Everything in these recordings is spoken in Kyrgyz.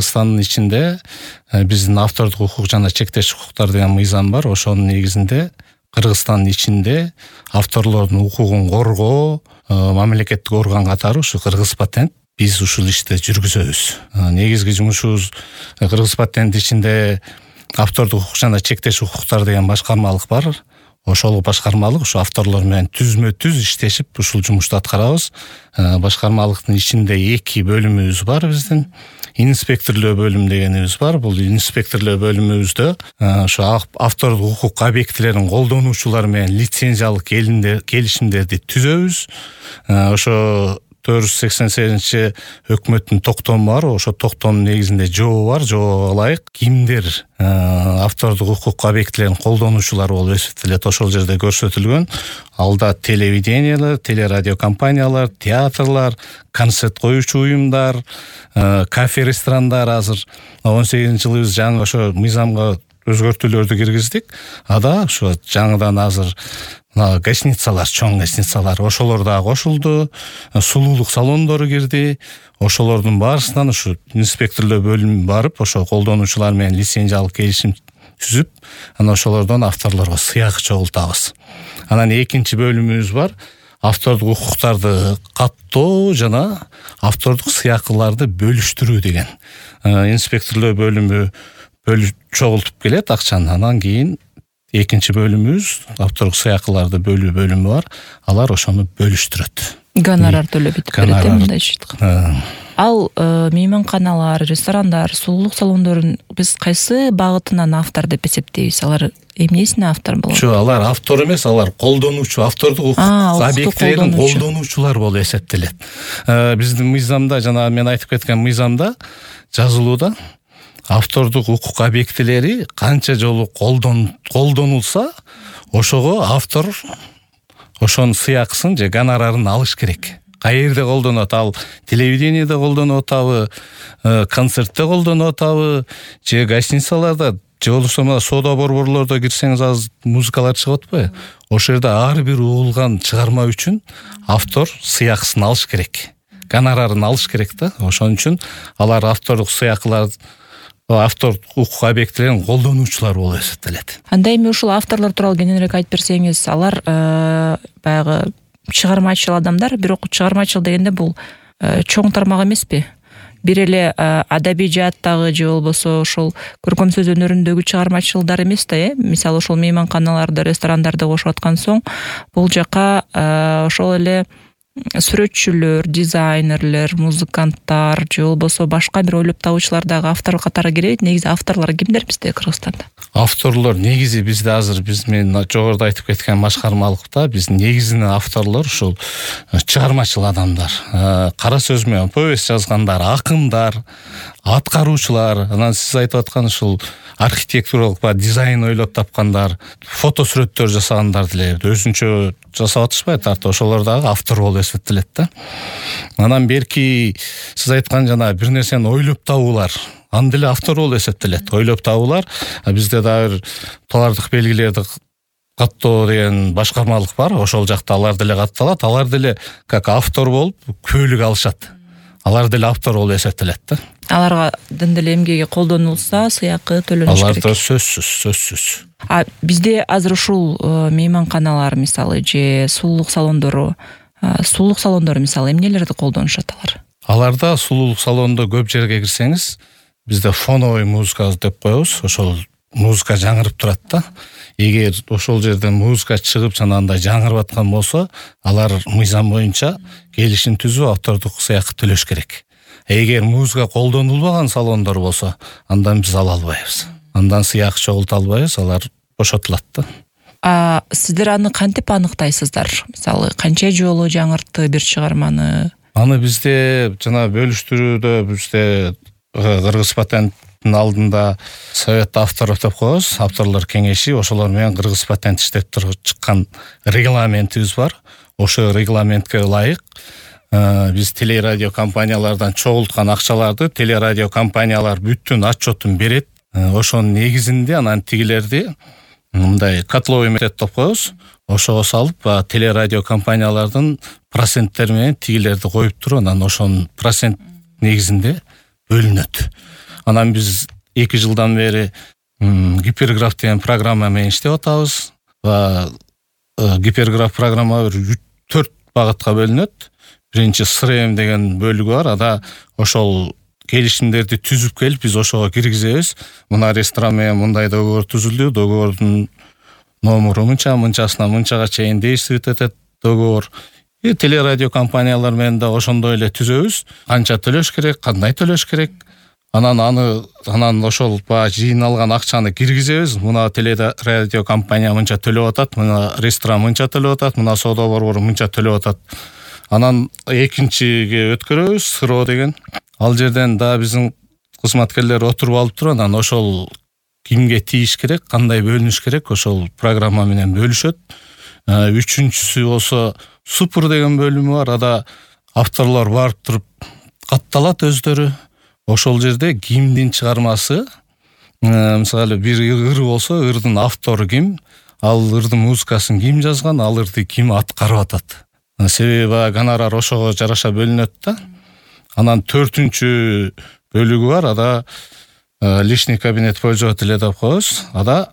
Кыргызстандын ичинде биздин автордук укук жана чектеш укуктар деген мыйзам бар. Ошонун негизинде Кыргызстандын ичинде авторлордун укугун коргоо мамлекеттик орган катары ушу Кыргыз патент биз ушул ишти жүргүзөбүз. Негизги жумушубуз Кыргыз патент ичинде автордук укук жана чектеш укуктар деген башкармалык бар. Ошол башкармалык ушу авторлор менен түзмө-түз иштешип ушул жумушту аткарабыз. Башкармалыктын ичинде 2 бөлүмүбүз бар биздин. Инспекторлоо бөлүм дегенибиз бар. Бул инспекторлоо бөлүмүбүздө ошо автордук укук объектилерин колдонуучулар менен лицензиялык келишимдерди түзөбүз. Ошо 488 өкмөттүн токтому бар. Ошо токтомдун негизинде жообу бар. Жообго ылайык кимдер автордук укук объектилерин колдонуучулар болуп эсептелет, ошол жерде көрсөтүлгөн. Алда телевидениялар, телерадио компаниялар, театрлар, концерт коюучу уюмдар, кафе, ресторандар. Азыр 18-жылы биз жаңы ошо мыйзамга өзгөртүүлөрдү киргиздик. Ада ошо жаңыдан азыр гостиницалар, чоң гостиницалар, ошолор да кошулду. Сулуулук салондору кирди. Ошолордун баарысынан ушу инспекторлоо бөлүмү барып, ошо колдонуучулар менен лицензиялык келишим түзүп, анан ошолордон авторлорго сыйак чогултабыз. Анан экинчи бөлүмүбүз бар. Автордук укуктарды каттоо жана автордук сыякыларды бөлүштүрүү деген. Инспекторлоо бөлүмү чогултуп келет акчаны. Анан кийин экинчи бөлүмүбүз автордук сыякыларды бөлүү бөлүмү бар. Алар ошону бөлүштүрөт. Гонорар төлөп бүтүп берет мындай ишти. Ал мейманканалар, ресторандар, сулуулук салондорун биз кайсы багытынан автор деп эсептейбиз? Алар эмнесине автор болот? Жок, алар автор эмес, алар колдонуучу, автордук укук объектилерин колдонуучулар болуп эсептелет. Биздин мыйзамда, жана мен айтып кеткен мыйзамда жазылууда автордук укук объектилери канча жолу колдонулса, ошого автор ошонун сыякысын же гонорарын алыш керек. Каерде колдонот? Ал телевидениеде колдонуп атабы, концертте колдонуп атабы, же гостиницаларда, же болбосо соода борборлордо кирсеңиз азыр музыкалар чыгып атпайбы? Ошол жерде ар бир угулган чыгарма үчүн автор сыякысын алыш керек. Гонорарын алыш керек да. Ошон үчүн алар автордук сыякылар, автордук укук объектилерин колдонуучулар болуп эсептелет. Анда эми ушул авторлор тууралуу кененирээк айтып берсеңиз, алар баягы чыгармачыл адамдар, бирок чыгармачыл дегенде бул чоң тармак эмеспи? Бир эле адабий жааттагы же болбосо ошол көркөм сөз өнөрүндөгү чыгармачылдар эмес да, Мисалы ошол мейманканаларды, ресторандарды кошуп аткан соң, бул жака ошол эле сүрөтчүлөр, дизайнерлер, музыканттар же болбосо башка бир ойлоп табуучулар дагы автор катары кирет. Негизи авторлор кимдер бизде Кыргызстанда? Авторлор негизи бизде азыр мен жогоруда айтып кеткен башкармалыкта биздин негизинен авторлор ушул чыгармачыл адамдар, кара сөз менен повесть жазгандар, акындар, аткаруучулар. Анан сиз айтып аткан ушул архитектуралык дизайн ойлоп тапкандар, фото сүрөттөр жасагандар деле өзүнчө жасап атышпайбы, ошолор дагы автор болуп эсептелет да. Анан берки сиз айткан жана бир нерсени ойлоп табуулар, аны деле автор болуп эсептелет. Ойлоп табуулар. Бизде дагы товардык белгилерди каттоо деген башкармалык бар. Ошол жакта алар деле катталат. Алар деле как автор болуп көйлүк алышат. Алар деле автор болуп эсептелет да. Аларга деле эмгеги колдонулса, сыякы төлөнүш керек. Аларда сөзсүз. Бизде азыр ушул мейманканалар мисалы же сулуулук салондору мисалы эмнелерди колдонушат алар? Аларда сулуулук салондо көп жерге кирсеңиз, бизде фоновый музыка деп коебуз. Ошол музыка жаңырып турат да. Эгер ошол жерден музыка чыгып жанагындай жаңырып аткан болсо, алар мыйзам боюнча келишим түзүп автордук сыякы төлөш керек. Эгер музыка колдонулбаган салондор болсо, андан биз ала албайбыз. Андан сыяк чогулта албайбыз, алар бошотулат да. Сиздер аны кантип аныктайсыздар? Мисалы, канча жолу жаңыртты бир чыгарманы? Аны бизде жана бөлүштүрүүдө бизде Кыргыз патенттин алдында совет авторов деп коебуз, авторлор кеңеши, ошолор менен Кыргыз патент иштеп чыккан регламентибиз бар. Ошо регламентке ылайык биз телерадио компаниялардан чогулткан акчаларды телерадио компаниялар бүттүн отчетун берет. Ошонун негизинде анан тигилерди мындай котловый метод деп коебуз. Ошого салып, телерадио компаниялардын проценттери менен тигилерди коюп туруп, анан ошонун процент негизинде бөлүнөт. Анан биз 2 жылдан бери гиперграф деген программа менен иштеп атабыз. Гиперграф программа 4 багытка бөлүнөт. Биринчи СРМ деген бөлүгү бар. Ада ошол келишимдерди түзүп келип биз ошого киргизебиз. Мына ресторан менен мындай договор түзүлдү. Договордун номеру мынчасына мынчага чейин действовать этет договор. Телерадио компаниялар менен да ошондой эле түзөбүз. Канча төлөш керек, кандай төлөш керек. Анан ошол жыйналган акчаны киргизебиз. Мына телерадио компания мынча төлөп атат, мына ресторан мынча төлөп атат, мына соода борбору мынча төлөп атат. Анан экинчиге өткөрөбүз, СРО деген. Ал жерден да биздин кызматкерлер отуруп алып туруп, анан ошол кимге тийиш керек, кандай бөлүнүш керек, ошол программа менен бөлүшөт. Үчүнчүсү болсо Супер деген бөлүмү бар. Ада авторлор барып туруп катталат өздөрү. Ошол жерде кимдин чыгармасы, мисалы бир ыр болсо, ырдын автору ким, ал ырдын музыкасын ким жазган, ал ырды ким аткарып атат. Себеби гонорар ошого жараша бөлүнөт да. Анан 4-үнчү бөлүгү бар. Ада личный кабинет пользователя деп коебуз. Ада,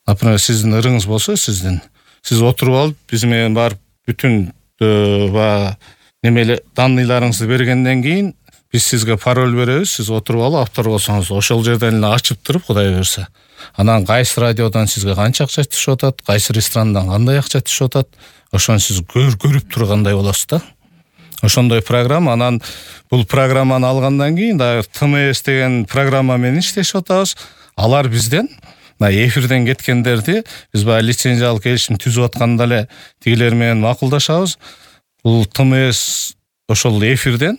например, сиздин ырыңыз болсо, сиз отуруп алып, биз менен барып бүтүн данныйларыңызды бергенден кийин биз сизге пароль беребиз. Сиз отуруп алып, автор болсоңуз, ошол жерден эле ачып туруп, Кудай буюрса, анан кайсы радиодон сизге канча акча түшүп атат, кайсы ресторандан кандай акча түшүп атат, ошону сиз көрүп тургандай болосуз да. Ошондой программа. Анан бул программаны алгандан кийин да ТМС деген программа менен иштешип атабыз. Алар бизден эфирден кеткендерди биз лицензиялык келишим түзүп атканда эле тигилер менен макулдашабыз. Бул ТМС ошол эфирден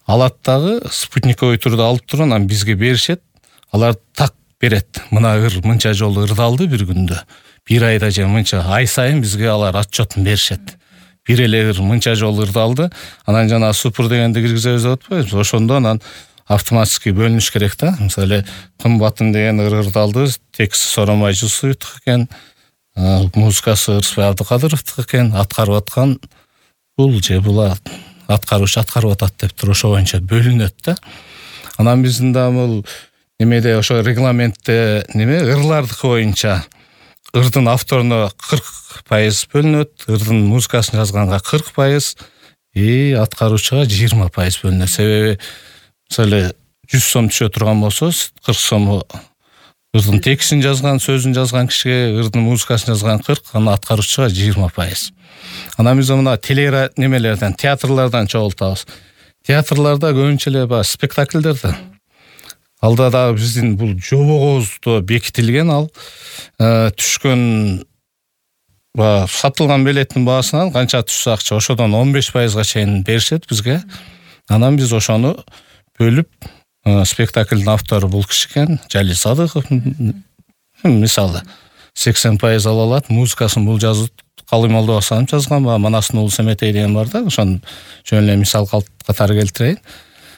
алат дагы спутниковый түрдө алып туруп, анан бизге беришет. Алар так берет. Мына ыр мынча жолу ырдалды бир күндө, бир айда же мынча, ай сайын бизге алар отчетун беришет. Бир эле ыр мынча жолу ырдалды. Анан жана Супер дегенди киргизебиз деп атпайбыз. Ошондо анан автоматически бөлүнүш керек да. Мисалы, кымбатын деген ыр ырдалды, тексти Соромай Жусуевдик экен, музыкасы Ырысбай Абдыкадыровдук экен, аткарып аткан бул же була аткаруучу аткарып атат деп туруп ошо боюнча бөлүнөт да. Анан биздин да бул немеде ошо регламентте ырлардыкы боюнча ырдын авторуна 40% бөлүнөт, ырдын музыкасын жазганга 40%, аткаруучуга 20% бөлүнөт. Себеби мисалы 100 сом түшө турган болсо, 40 сому ырдын текстин жазган, сөзүн жазган кишиге, ырдын музыкасын жазган 40, анан аткаруучуга 20%. Анан биз мына немелерден, театрлардан чогултабыз. Театрларда көбүнчө эле спектакльдерде. Алда да биздин бул жобобузда бекитилген, ал түшкөн сатылган билеттин баасынан канча түшсө акча, ошодон 15%га чейин беришет бизге. Анан биз ошону бөлүп, спектаклдин автору бул киши экен, Жалил Садыков, мисалы 80% ала алат, музыкасын бул жазып Калый Молдобасанов жазган, Манасын уулу Семетей деген бар да, ошону жөн эле мисал катары келтирейин.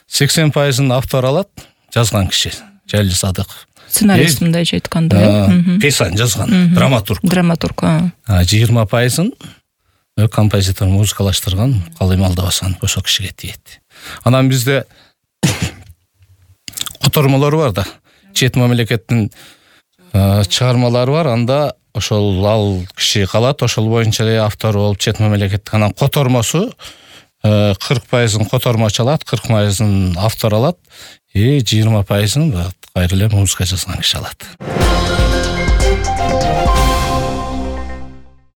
80%-ын автор алат, жазган киши Жалил Садыков. Сценарист мындайча айтканда, пьесаны жазган, драматург. 20%-ын композитор музыкалаштырган Калый Молдобасанов ошол кишиге тиет. Анан бизде котормолор бар да. Чет мамлекеттин чыгармалары бар, анда ошол ал киши калат, ошол боюнча эле автор болуп чет мамлекеттик. Анан котормосу 40%-ын котормочу алат, 40%-ын автор алат, 20%-ын кайра эле музыка жазган киши алат.